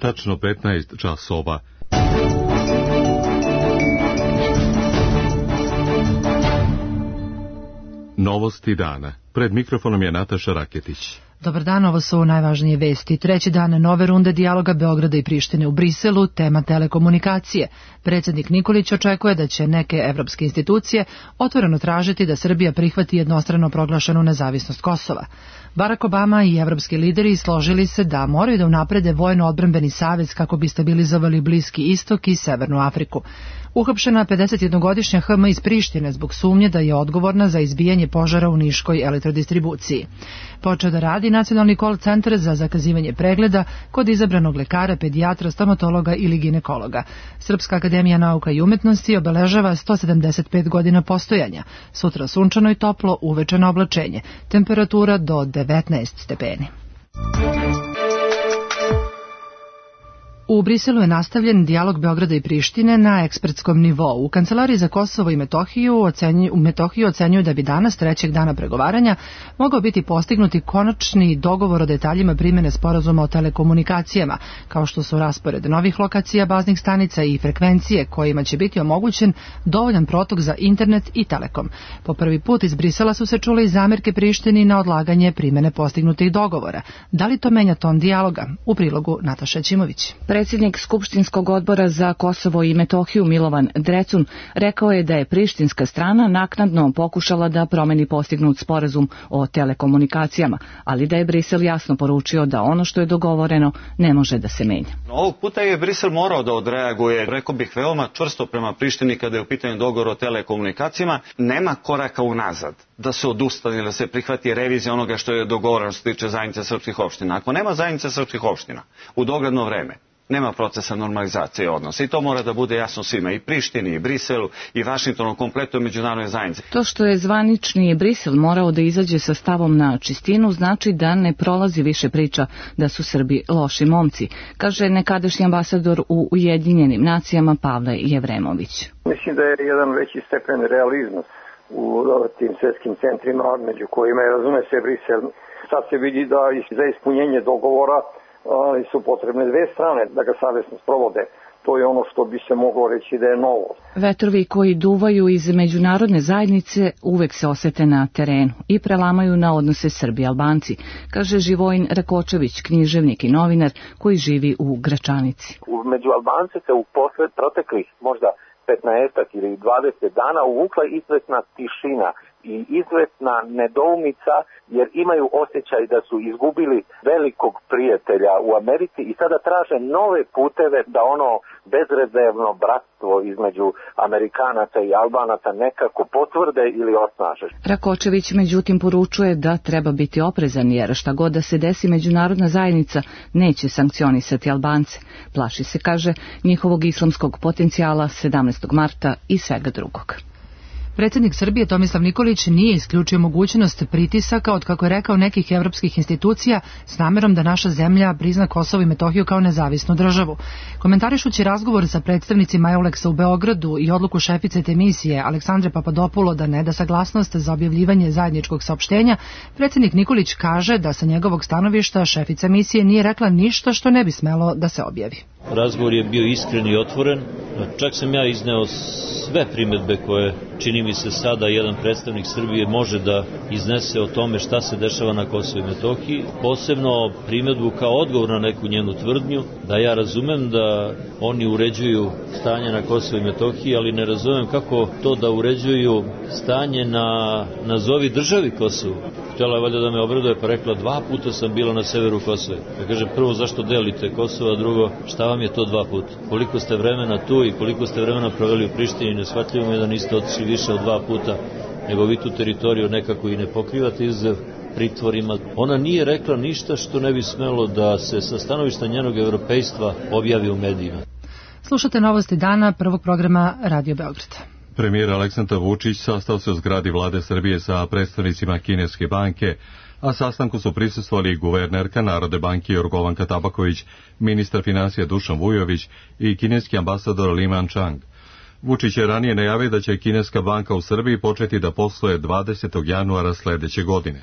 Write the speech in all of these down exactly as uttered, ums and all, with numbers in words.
tačno petnaest časova. Novosti dana. Pred mikrofonom je Nataša Raketić. Dobar dan, ovo su najvažnije vesti. Treći dan nove runde dijaloga Beograda i Prištine u Briselu, tema telekomunikacije. Predsjednik Nikolić očekuje da će neke evropske institucije otvoreno tražiti da Srbija prihvati jednostrano proglašenu nezavisnost Kosova. Barack Obama i evropski lideri složili se da moraju da unaprede vojno-odbrambeni savez kako bi stabilizovali Bliski istok i Severnu Afriku. Uhapšena pedesetjednogodišnja ha eme iz Prištine zbog sumnje da je odgovorna za izbijanje požara u niškoj elektrodistribuciji. Počeo da radi nacionalni call centar za zakazivanje pregleda kod izabranog lekara, pedijatra, stomatologa ili ginekologa. Srpska akademija nauka i umetnosti obeležava sto sedamdeset pet godina postojanja. Sutra sunčano i toplo, uveče na oblačenje. Temperatura do devetnaest stepeni. U Briselu je nastavljen dijalog Beograda i Prištine na ekspertskom nivou. U Kancelariji za Kosovo i Metohiju ocenjuju, u Metohiju ocenjuju da bi danas, trećeg dana pregovaranja, mogao biti postignuti konačni dogovor o detaljima primjene sporazuma o telekomunikacijama, kao što su raspored novih lokacija baznih stanica i frekvencije kojima će biti omogućen dovoljan protok za internet i telekom. Po prvi put iz Brisela su se čule i zamerke Prištini na odlaganje primjene postignutih dogovora. Da li to menja ton dijaloga? U prilogu Nataša Ćimović. Predsjednik Skupštinskog odbora za Kosovo i Metohiju Milovan Drecun rekao je da je prištinska strana naknadno pokušala da promeni postignut sporazum o telekomunikacijama, ali da je Brisel jasno poručio da ono što je dogovoreno ne može da se menja. Ovog puta je Brisel morao da odreaguje, rekao bih, veoma čvrsto prema Prištini kada je u pitanju dogovor o telekomunikacijama. Nema koraka unazad da se odustane, da se prihvati revizija onoga što je dogovoreno što se tiče zajednice srpskih opština. Ako nema zajednice srpskih opština u dogledno vreme, nema procesa normalizacije odnosa i to mora da bude jasno svima, i Prištini, i Briselu, i Vašingtonu, kompletno međunarodne zajednice. To što je zvanični Brisel morao da izađe sa stavom na čistinu znači da ne prolazi više priča da su Srbi loši momci, kaže nekadašnji ambasador u Ujedinjenim nacijama Pavle Jevremović. Mislim da je jedan veći stepen realizma u tim svjetskim centrima, među kojima je, razume se, Brisel. Sad se vidi da za ispunjenje dogovora ali su potrebne dve strane da ga savjesno sprovode. To je ono što bi se moglo reći da je novo. Vetrovi koji duvaju iz međunarodne zajednice uvek se osete na terenu i prelamaju na odnose Srbi-Albanci, kaže Živojin Rakočević, književnik i novinar koji živi u Gračanici. Među Albance se u posled proteklih možda petnaest ili dvadeset dana uvukla izvesna tišina i izvesna nedoumica, jer imaju osjećaj da su izgubili velikog prijatelja u Americi i sada traže nove puteve da ono bezrezervno bratstvo između Amerikanaca i Albanaca nekako potvrde ili osnaže. Rakočević međutim poručuje da treba biti oprezan, jer šta god da se desi, međunarodna zajednica neće sankcionisati Albance. Plaši se, kaže, njihovog islamskog potencijala sedamnaestog marta i svega drugog. Predsjednik Srbije Tomislav Nikolić nije isključio mogućnost pritisaka od, kako je rekao, nekih evropskih institucija s namjerom da naša zemlja prizna Kosovo i Metohiju kao nezavisnu državu. Komentarišući razgovor sa predstavnicima Euleksa u Beogradu i odluku šefice te misije Aleksandre Papadopulo da ne da saglasnost za objavljivanje zajedničkog saopštenja, predsjednik Nikolić kaže da sa njegovog stanovišta šefica misije nije rekla ništa što ne bi smelo da se objavi. Razgovor je bio iskren i otvoren, čak sam ja izneo sve primjedbe koje, čini mi se, sada jedan predstavnik Srbije može da iznese o tome šta se dešava na Kosovu i Metohiji, posebno primjedbu kao odgovor na neku njenu tvrdnju, da ja razumem da oni uređuju stanje na Kosovu i Metohiji, ali ne razumem kako to da uređuju stanje na nazovi državi Kosovu. Htjela je valjda da me obraduje, pa rekla, dva puta sam bila na severu Kosova. Ja kažem, prvo, zašto delite Kosovo, a drugo, šta vam je to dva puta? Koliko ste vremena tu i koliko ste vremena proveli u Prištini, neshvatljivo mi je da niste otišli više od dva puta, nego vi tu teritoriju nekako i ne pokrivate iz pritvorima. Ona nije rekla ništa što ne bi smelo da se sa stanovišta njenog evropejstva objavi u medijima. Slušate novosti dana prvog programa Radio Beograda. Premijer Aleksandar Vučić sastao se u zgradi vlade Srbije sa predstavnicima Kineske banke, a sastanku su prisustvovali i guvernerka Narodne banke Jorgovanka Tabaković, ministar financija Dušan Vujović i kineski ambasador Li Manchang. Vučić je ranije najavio da će Kineska banka u Srbiji početi da posluje dvadesetog januara sljedeće godine.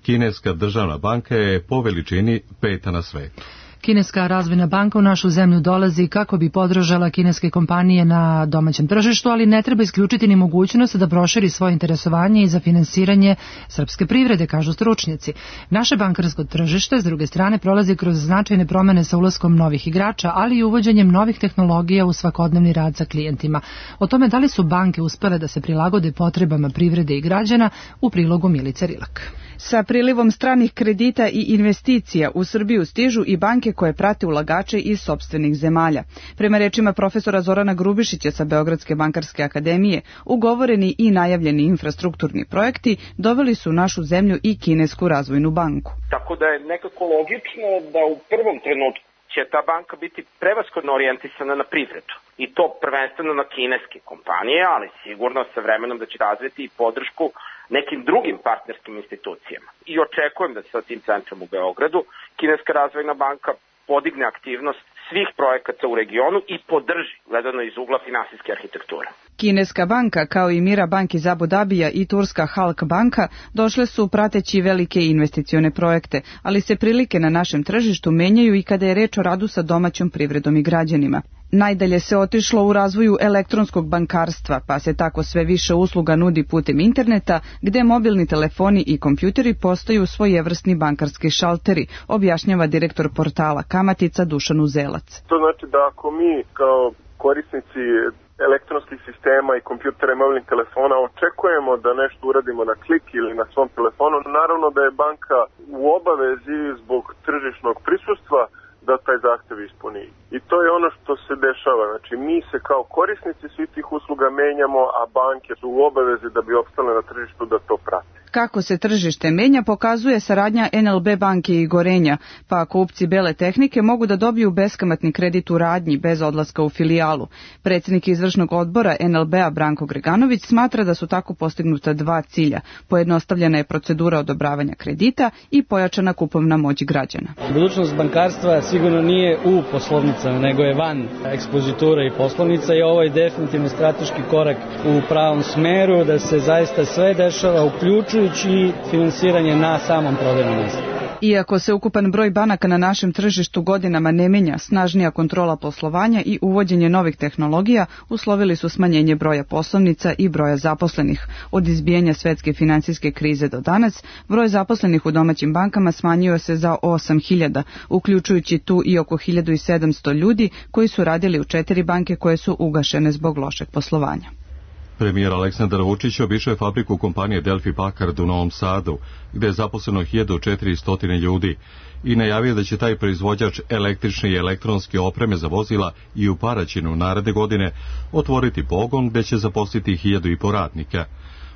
Kineska državna banka je po veličini peta na svetu. Kineska razvojna banka u našu zemlju dolazi kako bi podržala kineske kompanije na domaćem tržištu, ali ne treba isključiti ni mogućnost da proširi svoje interesovanje i za finansiranje srpske privrede, kažu stručnjaci. Naše bankarsko tržište, s druge strane, prolazi kroz značajne promene sa ulaskom novih igrača, ali i uvođenjem novih tehnologija u svakodnevni rad sa klijentima. O tome da li su banke uspele da se prilagode potrebama privrede i građana, u prilogu Milice Rilak. Sa prilivom stranih kredita i investicija u Srbiju stižu i banke koje prate ulagače iz sopstvenih zemalja. Prema rečima profesora Zorana Grubišića sa Beogradske bankarske akademije, ugovoreni i najavljeni infrastrukturni projekti doveli su našu zemlju i Kinesku razvojnu banku. Tako da je nekako logično da u prvom trenutku će ta banka biti prevashodno orijentisana na privredu. I to prvenstveno na kineske kompanije, ali sigurno sa vremenom da će razviti i podršku nekim drugim partnerskim institucijama. I očekujem da sa tim centrom u Beogradu Kineska razvojna banka podigne aktivnost svih projekata u regionu i podrži, gledano iz ugla finansijske arhitekture. Kineska banka, kao i Mira Bank iz Abu Dabija i turska Halk banka, došle su prateći velike investicione projekte, ali se prilike na našem tržištu menjaju i kada je reč o radu sa domaćom privredom i građanima. Najdalje se otišlo u razvoju elektronskog bankarstva, pa se tako sve više usluga nudi putem interneta, gde mobilni telefoni i kompjuteri postaju svojevrsni bankarski šalteri, objašnjava direktor portala Kamatica Dušan Uzelac. To znači da ako mi kao korisnici elektronskih sistema i kompjutera i mobilnih telefona očekujemo da nešto uradimo na klik ili na svom telefonu, naravno da je banka u obavezi zbog tržišnog prisustva da taj zahtev ispuni. I to je ono što se dešava. Znači, mi se kao korisnici svih tih usluga menjamo, a banke su u obavezi da bi opstale na tržištu da to prate. Kako se tržište menja pokazuje saradnja en el be banke i Gorenja, pa kupci bele tehnike mogu da dobiju beskamatni kredit u radnji bez odlaska u filijalu. Predsjednik izvršnog odbora en el be-a Branko Greganović smatra da su tako postignuta dva cilja. Pojednostavljena je procedura odobravanja kredita i pojačana kupovna moć građana. Budućnost bankarstva sigurno nije u poslovnicama, nego je van ekspozitura i poslovnica i ovo je definitivno strateški korak u pravom smeru da se zaista sve dešava uključujući i finansiranje na samom prodajnom mjestu. Iako se ukupan broj banaka na našem tržištu godinama ne menja, snažnija kontrola poslovanja i uvođenje novih tehnologija uslovili su smanjenje broja poslovnica i broja zaposlenih. Od izbijanja svetske finansijske krize do danas, broj zaposlenih u domaćim bankama smanjio se za osam hiljada, uključujući tu i oko hiljadu sedamsto ljudi koji su radili u četiri banke koje su ugašene zbog lošeg poslovanja. Premijer Aleksandar Vučić obišao je fabriku kompanije Delfi Packard u Novom Sadu, gde je zaposleno hiljadu četiristo ljudi i najavio da će taj proizvođač električne i elektronske opreme za vozila i u Paraćinu naredne godine otvoriti pogon gde će zaposliti hiljadu i po radnika.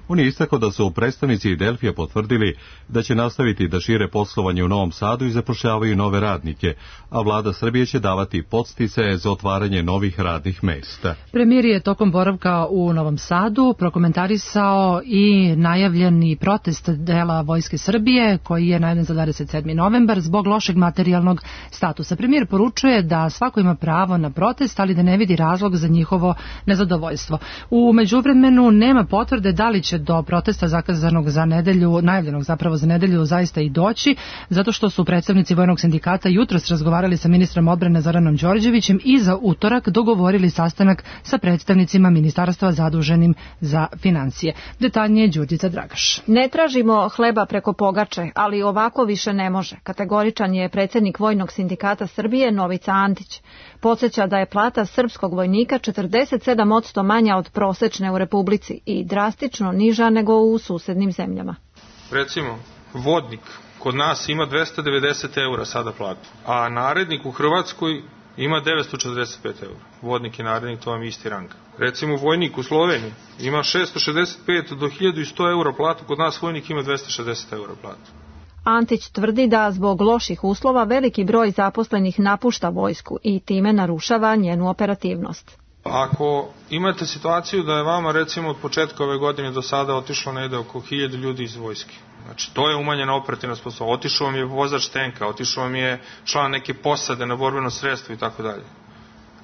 On je istakao da su predstavnici Delfija potvrdili da će nastaviti da šire poslovanje u Novom Sadu i zapošljavaju nove radnike, a vlada Srbije će davati podsticaje za otvaranje novih radnih mesta. Premijer je tokom boravka u Novom Sadu prokomentarisao i najavljeni protest dela Vojske Srbije, koji je najavljen za dvadeset sedmi novembar zbog lošeg materijalnog statusa. Premijer poručuje da svako ima pravo na protest, ali da ne vidi razlog za njihovo nezadovoljstvo. U međuvremenu nema potvrde da li će do protesta zakazanog za nedelju, najavljenog zapravo za nedelju, zaista i doći, zato što su predstavnici Vojnog sindikata jutros razgovarali sa ministrom odbrane Zoranom Đorđevićem i za utorak dogovorili sastanak sa predstavnicima ministarstva zaduženim za financije. Detaljnije Đurđica Dragaš. Ne tražimo hleba preko pogače, ali ovako više ne može. Kategoričan je predsjednik Vojnog sindikata Srbije Novica Antić. Podsjeća da je plata srpskog vojnika četrdeset sedam posto manja od prosečne u Republici i drastično niža nego u susednim zemljama. Recimo, vodnik kod nas ima dvesta devedeset eura sada platu, a narednik u Hrvatskoj ima devetsto četrdeset pet eura. Vodnik i narednik, to vam je isti rang. Recimo, vojnik u Sloveniji ima šesto šezdeset pet do hiljadu sto eura platu, kod nas vojnik ima dvesta šezdeset eura platu. Antić tvrdi da zbog loših uslova veliki broj zaposlenih napušta vojsku i time narušava njenu operativnost. Ako imate situaciju da je vama recimo od početka ove godine do sada otišlo negde oko hiljadu ljudi iz vojske, znači to je umanjena operativna sposobnost, otišao vam je vozač tenka, otišao vam je član neke posade na borbeno sredstvo i tako dalje,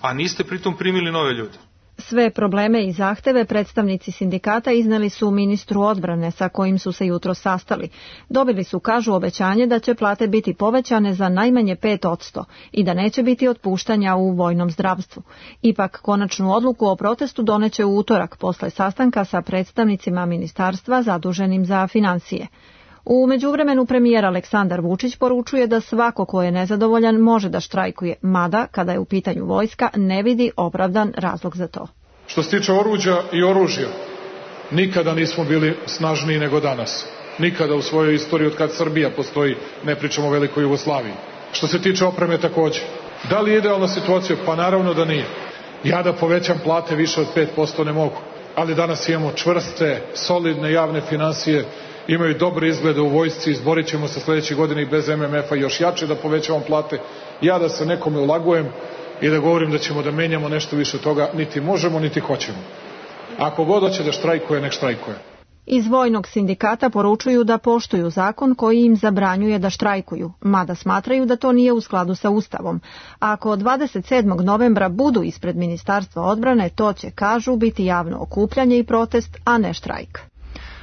a niste pritom primili nove ljude. Sve probleme i zahteve predstavnici sindikata izneli su ministru odbrane sa kojim su se jutro sastali. Dobili su, kažu, obećanje da će plate biti povećane za najmanje pet posto i da neće biti otpuštanja u vojnom zdravstvu. Ipak konačnu odluku o protestu doneće u utorak posle sastanka sa predstavnicima ministarstva zaduženim za finansije. U međuvremenu premijer Aleksandar Vučić poručuje da svako ko je nezadovoljan može da štrajkuje, mada kada je u pitanju vojska ne vidi opravdan razlog za to. Što se tiče oruđa i oružja, nikada nismo bili snažniji nego danas. Nikada u svojoj istoriji od kad Srbija postoji, ne pričamo o velikoj Jugoslaviji. Što se tiče opreme takođe. Da li je idealna situacija? Pa naravno da nije. Ja da povećam plate više od pet posto ne mogu. Ali danas imamo čvrste, solidne javne finansije, imaju dobre izglede u vojsci, izborit ćemo se sledeće godine i bez M M F-a još jače da povećavamo plate. Ja da se nekome ulagujem i da govorim da ćemo da menjamo nešto više toga, niti možemo, niti hoćemo. Ako god hoće da štrajkuje, nek štrajkuje. Iz vojnog sindikata poručuju da poštuju zakon koji im zabranjuje da štrajkuju, mada smatraju da to nije u skladu sa Ustavom. Ako dvadeset sedmog novembra budu ispred Ministarstva odbrane, to će, kažu, biti javno okupljanje i protest, a ne štrajk.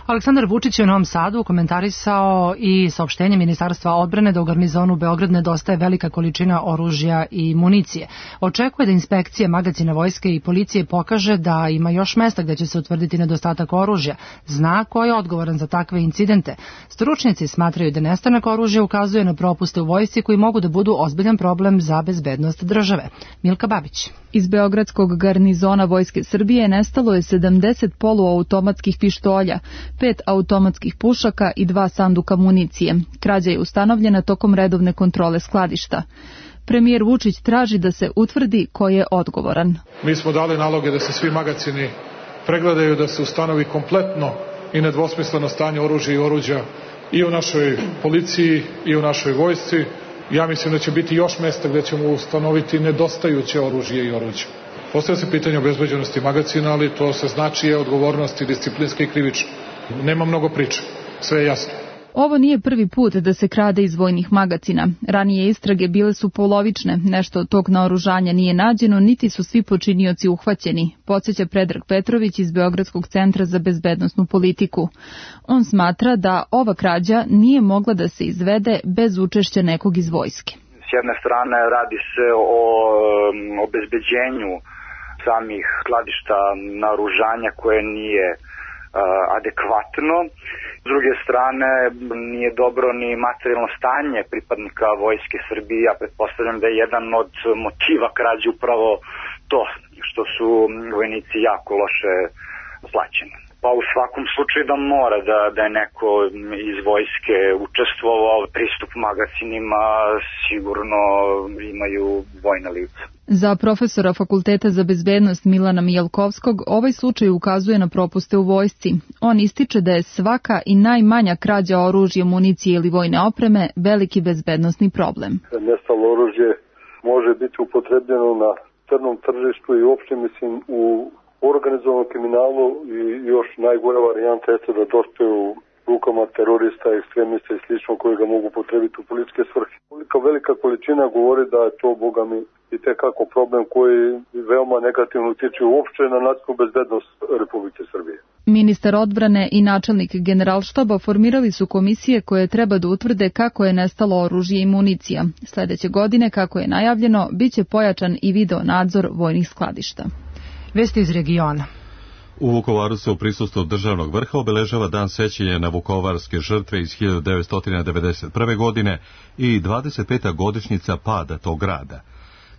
Aleksandar Vučić je u Novom Sadu komentarisao i saopštenje Ministarstva odbrane da u garnizonu Beograd nedostaje velika količina oružja i municije. Očekuje da inspekcija magacina vojske i policije pokaže da ima još mesta gde će se utvrditi nedostatak oružja. Zna ko je odgovoran za takve incidente. Stručnjaci smatraju da nestanak oružja ukazuje na propuste u vojsci koji mogu da budu ozbiljan problem za bezbednost države. Milka Babić. Iz beogradskog garnizona Vojske Srbije nestalo je sedamdeset poluautomatskih pištolja, pet automatskih pušaka i dva sanduka municije. Krađa je ustanovljena tokom redovne kontrole skladišta. Premijer Vučić traži da se utvrdi ko je odgovoran. Mi smo dali naloge da se svi magacini pregledaju, da se ustanovi kompletno i nedvosmisleno stanje oružja i oruđa i u našoj policiji i u našoj vojsci. Ja mislim da će biti još mesta gde ćemo ustanoviti nedostajuće oružje i oruđe. Postavlja se pitanje obezbeđenosti magacina, ali to se znači je odgovornosti disciplinske i krivične. Nema mnogo priče, sve je jasno. Ovo nije prvi put da se krade iz vojnih magacina. Ranije istrage bile su polovične, nešto od tog naoružanja nije nađeno, niti su svi počinioci uhvaćeni, podsjeća Predrag Petrović iz Beogradskog centra za bezbednosnu politiku. On smatra da ova krađa nije mogla da se izvede bez učešća nekog iz vojske. S jedne strane radi se o obezbeđenju samih skladišta naoružanja koje nije adekvatno. S druge strane, nije dobro ni materijalno stanje pripadnika Vojske Srbije. Ja pretpostavljam da je jedan od motiva krađe upravo to, što su vojnici jako loše plaćeni. Pa u svakom slučaju da mora da, da je neko iz vojske učestvovao, pristup magacinima sigurno imaju vojna lica. Za profesora Fakulteta za bezbednost Milana Mijalkovskog ovaj slučaj ukazuje na propuste u vojsci. On ističe da je svaka i najmanja krađa oružja, municije ili vojne opreme veliki bezbednosni problem. Nestalo oružje može biti upotrebljeno na crnom tržištu i uopšte mislim u organizovanom kriminalu i još najgora varijanta jeste da dospe u rukama terorista, ekstremista i slično koji ga mogu potrebiti u političke svrhe. Velika, velika količina govori da je to, boga mi, i tekako problem koji veoma negativno utiče uopšte na nacionalnu bezbednost Republike Srbije. Ministar odbrane i načelnik Generalštaba formirali su komisije koje treba da utvrde kako je nestalo oružje i municija. Sledeće godine, kako je najavljeno, biće pojačan i video nadzor vojnih skladišta. Vesti iz regiona. U Vukovaru se u prisustvu državnog vrha obeležava dan sećanja na vukovarske žrtve iz hiljadu devetsto devedeset prve. godine i dvadeset peta godišnjica pada tog grada.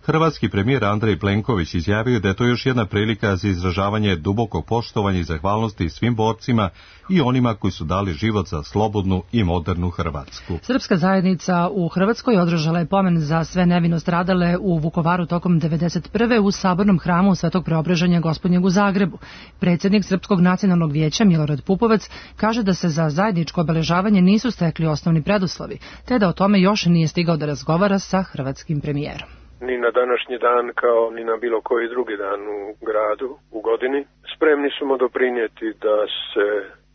Hrvatski premijer Andrej Plenković izjavio da je to još jedna prilika za izražavanje dubokog poštovanja i zahvalnosti svim borcima i onima koji su dali život za slobodnu i modernu Hrvatsku. Srpska zajednica u Hrvatskoj održala je pomen za sve nevino stradale u Vukovaru tokom devedeset prve. u Sabornom hramu Svetog Preobraženja Gospodnjeg u Zagrebu. Predsjednik Srpskog nacionalnog vijeća Milorad Pupovac kaže da se za zajedničko obeležavanje nisu stekli osnovni preduslovi, te da o tome još nije stigao da razgovara sa hrvatskim premijerom. Ni na današnji dan kao ni na bilo koji drugi dan u gradu, u godini. Spremni smo doprinijeti da se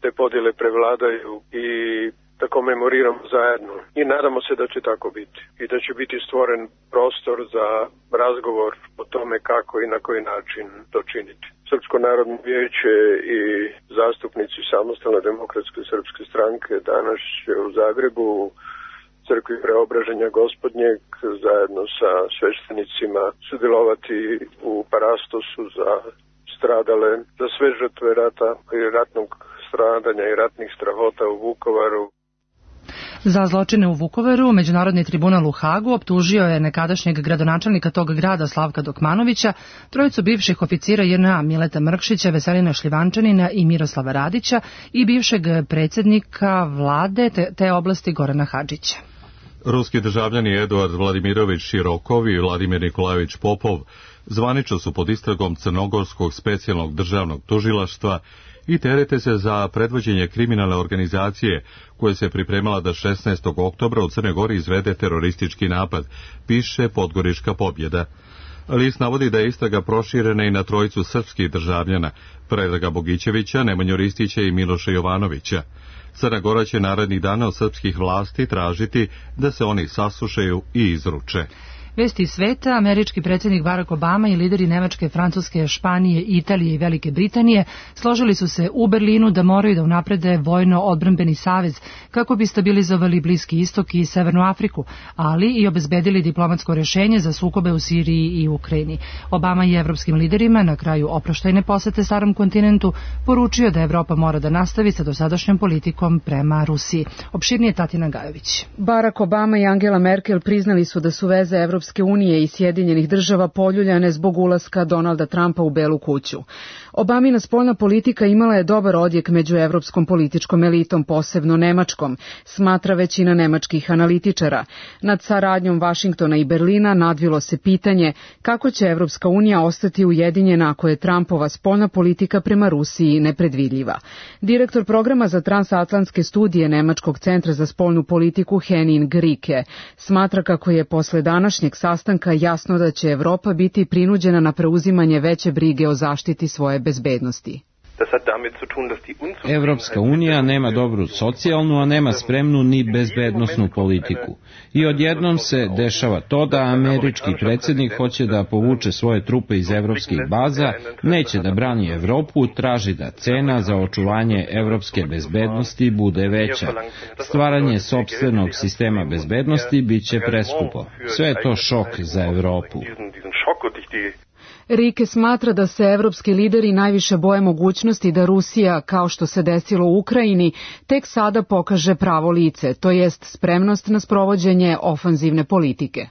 te podjele prevladaju i da komemoriramo zajedno i nadamo se da će tako biti i da će biti stvoren prostor za razgovor o tome kako i na koji način to činiti. Srpsko narodno vijeće i zastupnici Samostalne demokratske srpske stranke danas će u Zagrebu u crkvi Preobraženja Gospodnjeg zajedno sa sveštenicima sudjelovati u parastosu za stradale, za sve žrtve rata i ratnog stradanja i ratnih strahota u Vukovaru. Za zločine u Vukovaru Međunarodni tribunal u Hagu optužio je nekadašnjeg gradonačelnika tog grada Slavka Dokmanovića, trojicu bivših oficira J N A Mileta Mrkšića, Veselina Šljivančanina i Miroslava Radića i bivšeg predsjednika vlade te, te oblasti Gorana Hadžića. Ruski državljani Eduard Vladimirović Širokov i Vladimir Nikolajević Popov zvanično su pod istragom Crnogorskog specijalnog državnog tužilaštva i terete se za predvođenje kriminalne organizacije koja se pripremala da šesnaestog oktobra u Crnoj Gori izvede teroristički napad, piše Podgorička pobjeda. List navodi da je istraga proširena i na trojicu srpskih državljana, Predraga Bogićevića, Nemanju Ristića i Miloša Jovanovića. Crna Gora će narednih dana od srpskih vlasti tražiti da se oni saslušaju i izruče. Vesti iz sveta, američki predsjednik Barack Obama i lideri Nemačke, Francuske, Španije, Italije i Velike Britanije složili su se u Berlinu da moraju da unaprede vojno-odbrambeni savez kako bi stabilizovali Bliski istok i Severnu Afriku, ali i obezbedili diplomatsko rješenje za sukobe u Siriji i Ukrajini. Obama je evropskim liderima na kraju oproštajne posete starom kontinentu poručio da Evropa mora da nastavi sa dosadašnjom politikom prema Rusiji. Opširnije Tatina Gajović. Barack Obama i Angela Merkel priznali su da su veze Evropske unije i Sjedinjenih država poljuljane zbog ulaska Donalda Trumpa u Belu kuću. Obamina spoljna politika imala je dobar odjek među evropskom političkom elitom, posebno nemačkom, smatra većina nemačkih analitičara. Nad saradnjom Vašingtona i Berlina nadvilo se pitanje kako će Evropska unija ostati ujedinjena ako je Trumpova spoljna politika prema Rusiji nepredvidljiva. Direktor programa za transatlantske studije Nemačkog centra za spoljnu politiku Henning Rike smatra kako je posle današnjeg sastanka jasno da će Evropa biti prinuđena na preuzimanje veće brige o zaštiti svoje bezbednosti. Evropska unija nema dobru socijalnu, a nema spremnu ni bezbednosnu politiku. I odjednom se dešava to da američki predsjednik hoće da povuče svoje trupe iz evropskih baza, neće da brani Evropu, traži da cena za očuvanje evropske bezbednosti bude veća. Stvaranje sopstvenog sistema bezbednosti biće preskupo. Sve je to šok za Evropu. Rike smatra da se evropski lideri najviše boje mogućnosti da Rusija, kao što se desilo u Ukrajini, tek sada pokaže pravo lice, to jest spremnost na sprovođenje ofanzivne politike.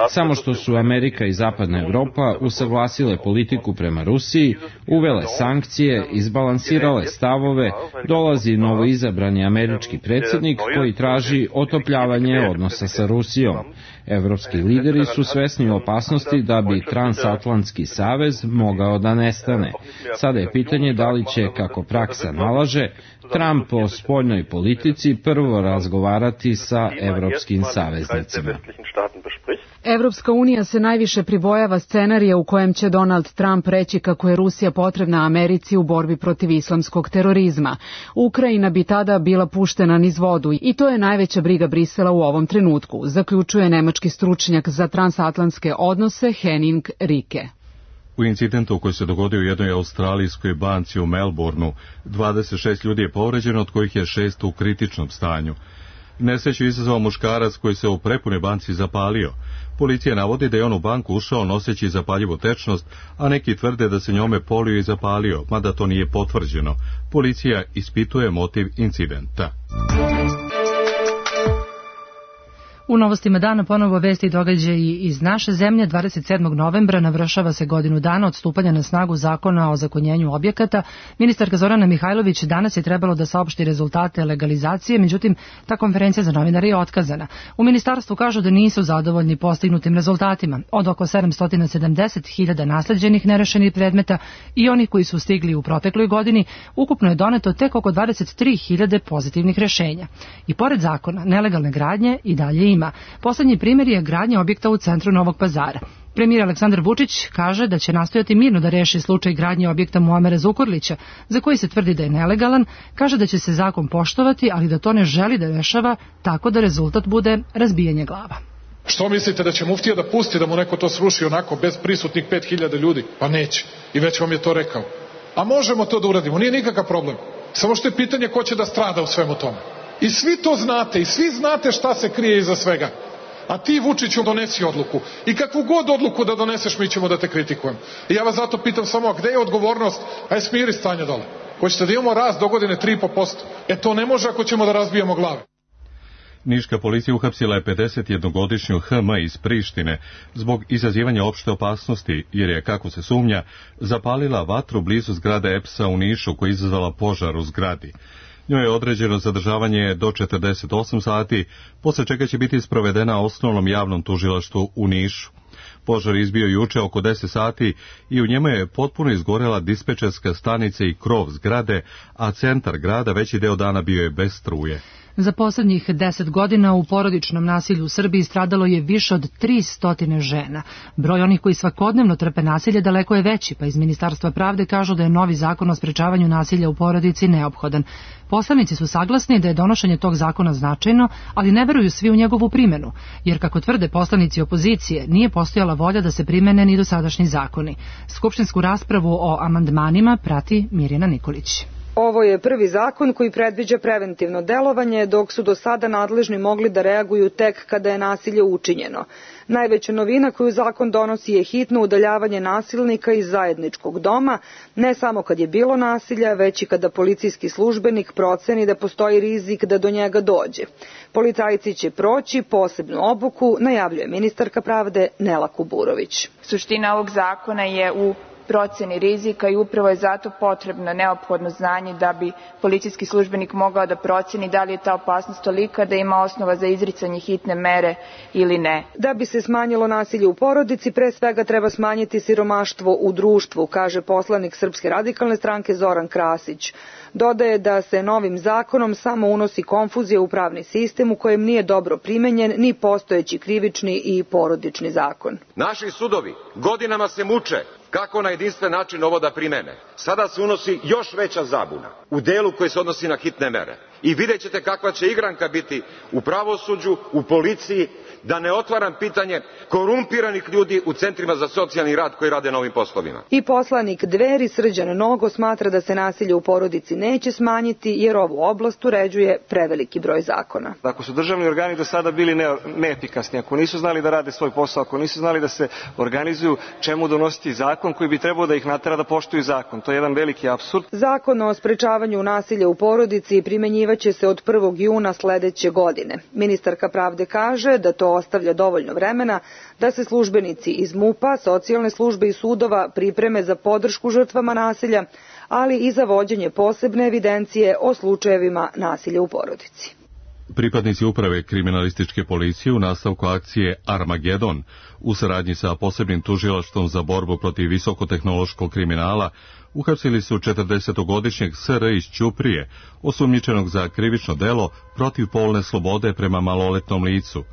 Samo što su Amerika i Zapadna Evropa usaglasile politiku prema Rusiji, uvele sankcije, izbalansirale stavove, dolazi novoizabrani američki predsjednik koji traži otopljavanje odnosa sa Rusijom. Evropski lideri su svesni opasnosti da bi transatlantski savez mogao da nestane. Sada je pitanje da li će, kako praksa nalaže, Trump o spoljnoj politici prvo razgovarati sa evropskim saveznicima. Evropska unija se najviše pribojava scenarija u kojem će Donald Trump reći kako je Rusija potrebna Americi u borbi protiv islamskog terorizma. Ukrajina bi tada bila puštena niz vodu i to je najveća briga Brisela u ovom trenutku, zaključuje nemački stručnjak za transatlantske odnose Henning Rike. U incidentu koji se dogodio u jednoj australijskoj banci u Melbourneu, dvadeset šest ljudi je povređeno, od kojih je šest u kritičnom stanju. Nesreću izazvao muškarac koji se u prepunoj banci zapalio. Policija navodi da je on u banku ušao noseći zapaljivu tečnost, a neki tvrde da se njome polio i zapalio, mada to nije potvrđeno. Policija ispituje motiv incidenta. U novostima dana ponovo vesti i događaji iz naše zemlje. dvadeset sedmog novembra navršava se godinu dana od stupanja na snagu zakona o ozakonjenju objekata. Ministarka Zorana Mihajlović danas je trebalo da saopšti rezultate legalizacije, međutim ta konferencija za novinare je otkazana. U ministarstvu kažu da nisu zadovoljni postignutim rezultatima. Od oko sedamsto sedamdeset hiljada nasleđenih nerešenih predmeta i onih koji su stigli u protekloj godini, ukupno je doneto tek oko dvadeset tri hiljade pozitivnih rešenja. I pored zakona, nelegalne gradnje i dalje ima. Poslednji primjer je gradnja objekta u centru Novog Pazara. Premijer Aleksandar Vučić kaže da će nastojati mirno da reši slučaj gradnje objekta Muamera Zukorlića, za koji se tvrdi da je nelegalan, kaže da će se zakon poštovati, ali da to ne želi da rešava tako da rezultat bude razbijanje glava. Što mislite da će muftija da pusti da mu neko to sruši onako bez prisutnih pet hiljada ljudi? Pa neće. I već vam je to rekao. A možemo to da uradimo, nije nikakav problem. Samo što je pitanje ko će da strada u svemu tome. I svi to znate, i svi znate šta se krije iza svega. A ti, Vučiću, donesi odluku. I kakvu god odluku da doneseš, mi ćemo da te kritikujemo. I ja vas zato pitam samo, a gde je odgovornost? Aj smiri stanje dole. Hoćete da imamo rast do godine tri i po posto? E to ne može ako ćemo da razbijemo glave. Niška policija uhapsila je pedesetjednogodišnju H M iz Prištine zbog izazivanja opšte opasnosti, jer je, kako se sumnja, zapalila vatru blizu zgrade E P S-a u Nišu koja je izazvala požar u zgradi. Njoj je određeno zadržavanje do četrdeset osam sati, posle čega će biti sprovedena osnovnom javnom tužilaštvu u Nišu. Požar izbio juče oko deset sati i u njemu je potpuno izgorela dispečerska stanica i krov zgrade, a centar grada veći deo dana bio je bez struje. Za poslednjih deset godina u porodičnom nasilju u Srbiji stradalo je više od tristo žena. Broj onih koji svakodnevno trpe nasilje daleko je veći, pa iz Ministarstva pravde kažu da je novi zakon o sprečavanju nasilja u porodici neophodan. Poslanici su saglasni da je donošenje tog zakona značajno, ali ne veruju svi u njegovu primenu, jer kako tvrde poslanici opozicije, nije postojala volja da se primene ni dosadašnji zakoni. Skupštinsku raspravu o amandmanima prati Mirjana Nikolić. Ovo je prvi zakon koji predviđa preventivno delovanje, dok su do sada nadležni mogli da reaguju tek kada je nasilje učinjeno. Najveća novina koju zakon donosi je hitno udaljavanje nasilnika iz zajedničkog doma, ne samo kad je bilo nasilja, već i kada policijski službenik proceni da postoji rizik da do njega dođe. Policajci će proći posebnu obuku, najavljuje ministarka pravde Nela Kuburović. Suština ovog zakona je u proceni rizika i upravo je zato potrebno neophodno znanje da bi policijski službenik mogao da proceni da li je ta opasnost tolika da ima osnova za izricanje hitne mere ili ne. Da bi se smanjilo nasilje u porodici, pre svega treba smanjiti siromaštvo u društvu, kaže poslanik Srpske radikalne stranke Zoran Krasić. Dodaje da se novim zakonom samo unosi konfuzija u pravni sistem u kojem nije dobro primenjen ni postojeći krivični i porodični zakon. Naši sudovi godinama se muče kako na jedinstven način ovo da primene. Sada se unosi još veća zabuna u delu koji se odnosi na hitne mere. I vidjet ćete kakva će igranka biti u pravosuđu, u policiji, da ne otvaram pitanje korumpiranih ljudi u centrima za socijalni rad koji rade na ovim poslovima. I poslanik Dveri Srđan Nogo smatra da se nasilje u porodici neće smanjiti jer ovu oblast uređuje preveliki broj zakona. Ako su državni organi do sada bili ne, neefikasni, ako nisu znali da rade svoj posao, ako nisu znali da se organizuju, čemu donositi zakon koji bi trebao da ih natera da poštuju zakon? To je jedan veliki apsurd. Zakon o sprečavanju nasilja u porodici primenjivaće se od prvog juna sledeće godine. Ministarka pravde kaže da to ostavlja dovoljno vremena da se službenici iz MUP-a, socijalne službe i sudova pripreme za podršku žrtvama nasilja, ali i za vođenje posebne evidencije o slučajevima nasilja u porodici. Pripadnici uprave kriminalističke policije u nastavku akcije Armagedon u saradnji sa posebnim tužilaštvom za borbu protiv visokotehnološkog kriminala uhapsili su četrdesetogodišnjeg S R iz Ćuprije, osumnjičenog za krivično delo protiv polne slobode prema maloletnom licu.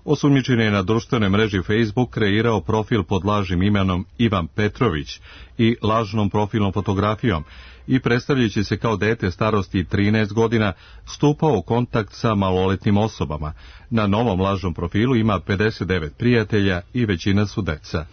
Osumnjičen je na društvenoj mreži Facebook kreirao profil pod lažnim imenom Ivan Petrović i lažnom profilnom fotografijom i predstavljajući se kao dete starosti trinaest godina stupao u kontakt sa maloletnim osobama. Na novom lažnom profilu ima pedeset devet prijatelja i većina su deca.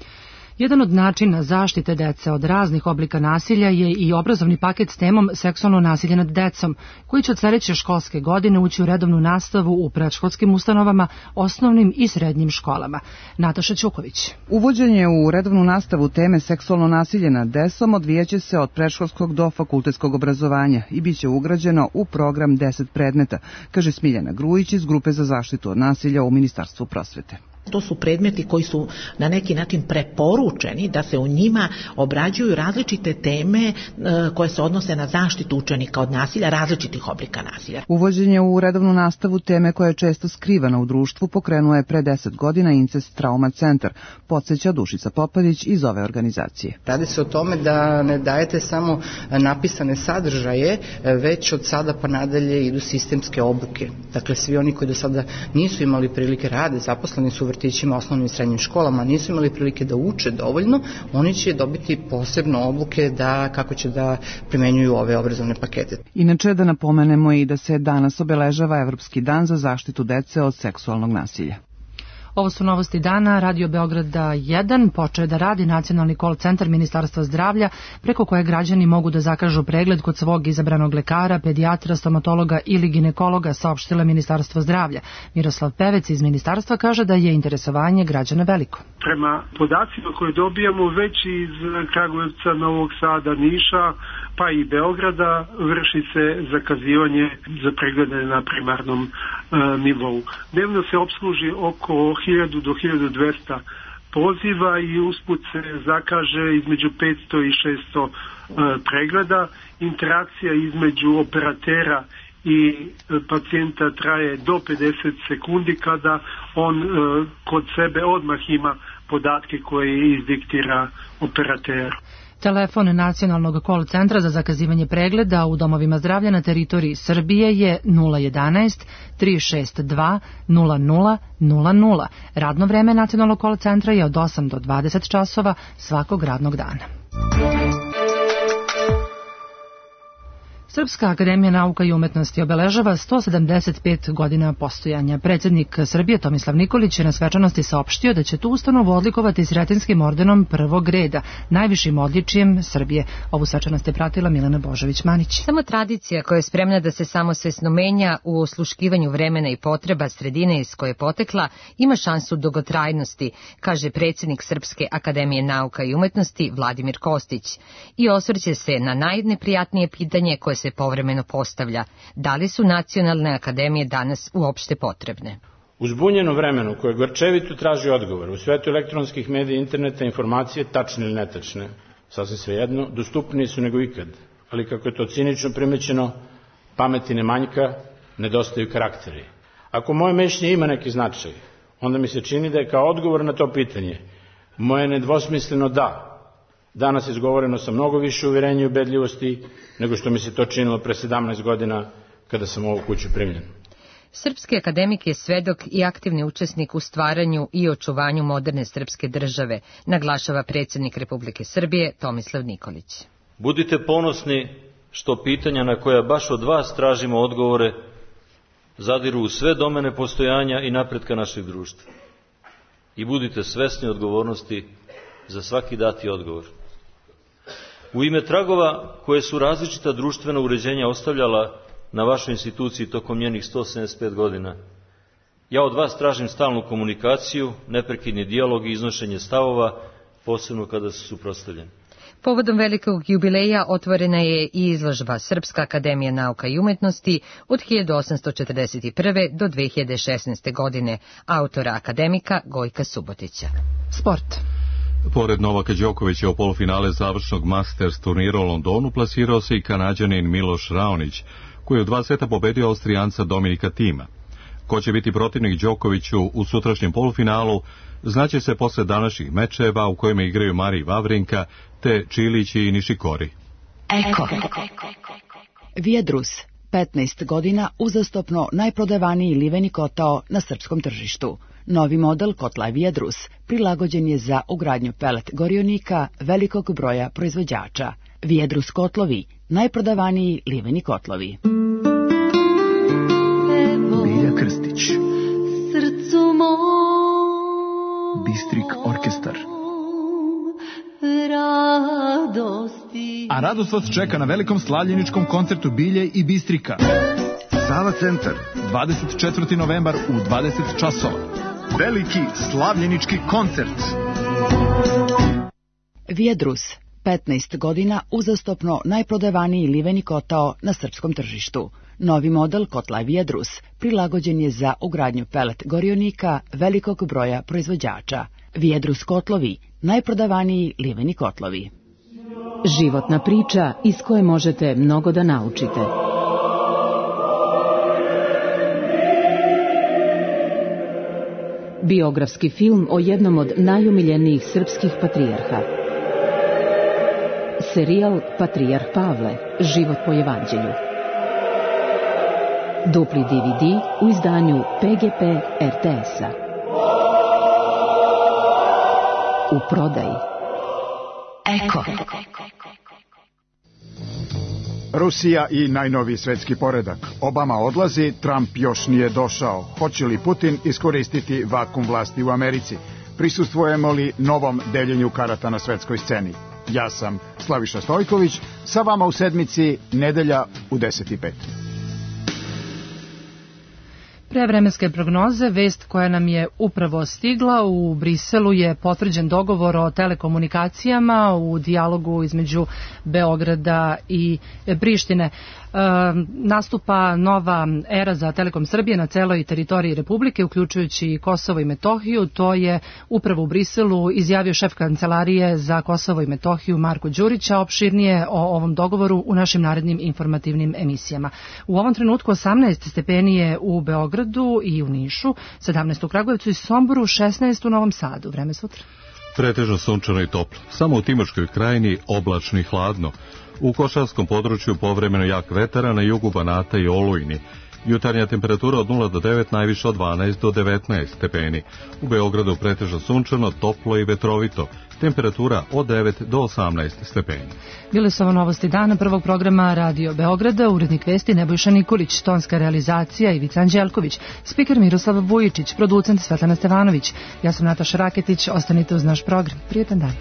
Jedan od načina zaštite dece od raznih oblika nasilja je i obrazovni paket s temom seksualno nasilje nad decom, koji će od sledeće školske godine ući u redovnu nastavu u predškolskim ustanovama, osnovnim i srednjim školama. Nataša Ćuković. Uvođenje u redovnu nastavu teme seksualno nasilje nad decom odvijaće se od predškolskog do fakultetskog obrazovanja i bit će ugrađeno u program deset predmeta, kaže Smiljana Grujić iz Grupe za zaštitu od nasilja u Ministarstvu prosvete. To su predmeti koji su na neki način preporučeni da se u njima obrađuju različite teme koje se odnose na zaštitu učenika od nasilja, različitih oblika nasilja. Uvođenje u redovnu nastavu teme koja je često skrivana u društvu pokrenuo je pre deset godina Incest Trauma Centar, podsjeća Dušica Popadić iz ove organizacije. Radi se o tome da ne dajete samo napisane sadržaje, već od sada pa nadalje idu sistemske obuke. Dakle, svi oni koji do sada nisu imali prilike rade, zaposleni su vrtićima, osnovnim i srednjim školama nisu imali prilike da uče dovoljno, oni će dobiti posebno obuke da kako će da primenjuju ove obrazovne pakete. Inače, da napomenemo i da se danas obeležava Evropski dan za zaštitu dece od seksualnog nasilja. Ovo su novosti dana. Radio Beograda jedan počeo da radi nacionalni call centar Ministarstva zdravlja preko koje građani mogu da zakažu pregled kod svog izabranog lekara, pedijatra, stomatologa ili ginekologa, saopštila Ministarstvo zdravlja. Miroslav Pevec iz Ministarstva kaže da je interesovanje građana veliko. Prema podacima koje dobijamo već iz Kragujevca, Novog Sada, Niša, pa i Beograda, vrši se zakazivanje za preglede na primarnom e, nivou. Dnevno se opsluži oko hiljadu do hiljadu dvesta poziva i usput se zakaže između petsto i šesto e, pregleda. Interakcija između operatera i pacijenta traje do pedeset sekundi kada on e, kod sebe odmah ima podatke koje izdiktira operater. Telefon nacionalnog call centra za zakazivanje pregleda u domovima zdravlja na teritoriji Srbije je nula jedanaest tri šest dva nula nula nula nula. Radno vreme nacionalnog call centra je od osam do dvadeset časova svakog radnog dana. Srpska akademija nauka i umetnosti obeležava sto sedamdeset pet godina postojanja. Predsjednik Srbije Tomislav Nikolić je na svečanosti saopštio da će tu ustanovu odlikovati Sretinskim ordenom prvog reda, najvišim odličijem Srbije. Ovu svečanost je pratila Milena Božović-Manić. Samo tradicija koja je spremna da se samosvesno menja u osluškivanju vremena i potreba sredine iz koje je potekla ima šansu dugotrajnosti, kaže predsjednik Srpske akademije nauka i umetnosti Vladimir Kostić. I osvrće se na najneprijatnije pitanje koje se povremeno postavlja. Da li su nacionalne akademije danas uopšte potrebne? U zbunjeno vremenu koje gorčevito traži odgovor, u svetu elektronskih medija, interneta, informacije, tačne ili netačne, sasvim svejedno, dostupniji su nego ikad. Ali kako je to cinično primećeno, pameti ne manjka, nedostaju karakteri. Ako moje mišljenje ima neki značaj, onda mi se čini da je kao odgovor na to pitanje moje nedvosmisleno da. Danas je izgovoreno sa mnogo više uvjerenja i ubedljivosti nego što mi se to činilo pre sedamnaest godina kada sam u ovu kuću primljen. Srpski akademik je svedok i aktivni učesnik u stvaranju i očuvanju moderne srpske države, naglašava predsjednik Republike Srbije Tomislav Nikolić. Budite ponosni što pitanja na koja baš od vas tražimo odgovore zadiru u sve domene postojanja i napretka našeg društva. I budite svesni odgovornosti za svaki dati odgovor. U ime tragova koje su različita društvena uređenja ostavljala na vašoj instituciji tokom njenih sto sedamdeset pet godina, ja od vas tražim stalnu komunikaciju, neprekidni dijalog i iznošenje stavova, posebno kada su suprotstavljeni. Povodom velikog jubileja otvorena je i izložba Srpska akademija nauka i umetnosti od hiljadu osamsto četrdeset prve do dve hiljade šesnaeste. godine, autora akademika Gojka Subotića. Sport. Pored Novaka Đokovića u polufinale završnog Masters turnira u Londonu plasirao se i Kanađanin Miloš Raonić, koji je u dva seta pobedio Austrijanca Dominika Tima. Ko će biti protivnik Đokoviću u sutrašnjem polufinalu, znaće se posle današnjih mečeva u kojima igraju Marij Vavrinka te Čilić i Nišikori. Eko. Vijedrus, petnaest godina uzastopno najprodavaniji liveni kotao na srpskom tržištu. Novi model kotla Vijedrus prilagođen je za ugradnju pelet gorionika velikog broja proizvođača. Vijedrus kotlovi, najprodavaniji liveni kotlovi. Bilja Krstić, srcu mom, Bistrik orkestar. Radosti. A radost vas čeka na velikom slavljeničkom koncertu Bilje i Bistrika. Sava centar, dvadeset četvrti novembar u dvadeset časova. Veliki slavljenički koncert. Vijedrus, petnaest godina uzastopno najprodavaniji liveni kotao na srpskom tržištu. Novi model kotla Vijedrus prilagođen je za ugradnju pelet gorionika velikog broja proizvođača. Vijedrus kotlovi, najprodavaniji liveni kotlovi. Životna priča iz koje možete mnogo da naučite. Biografski film o jednom od najumiljenijih srpskih patrijarha. Serijal Patrijarh Pavle, život po evanđelju. Dupli D V D u izdanju P G P R T S-a. u prodaji. Eko. Rusija i najnoviji svetski poredak. Obama odlazi, Trump još nije došao. Hoće li Putin iskoristiti vakum vlasti u Americi? Prisustvujemo li novom deljenju karata na svetskoj sceni? Ja sam Slaviša Stojković, sa vama u sedmici nedelja u deset i pet. Pre vremenske prognoze, vest koja nam je upravo stigla, u Briselu je potvrđen dogovor o telekomunikacijama u dijalogu između Beograda i Prištine. E, nastupa nova era za Telekom Srbije na celoj teritoriji Republike, uključujući i Kosovo i Metohiju. To je upravo u Briselu izjavio šef kancelarije za Kosovo i Metohiju Marko Đurić, a opširnije o ovom dogovoru u našim narednim informativnim emisijama. U ovom trenutku osamnaest stepeni je u Beogradu i u Nišu, sedamnaest u Kragujevcu i Somboru, šesnaest u Novom Sadu. Vreme sutra. Pretežno sunčano i toplo. Samo u Timočkoj krajini oblačno i hladno. U Košarskom području povremeno jak vetar, na jugu Banata i Olujni. Jutarnja temperatura od nula do devet, najviše od dvanaest do devetnaest stepeni. U Beogradu pretežno sunčano, toplo i vetrovito. Temperatura od devet do osamnaest stepeni. Bile su ovo novosti dana prvog programa Radio Beograda, urednik vesti Nebojša Nikolić, tonska realizacija Ivica Anđelković, spiker Miroslav Vujičić, producent Svetlana Stevanović. Ja sam Nataša Raketić, ostanite uz naš program. Prijetan dan.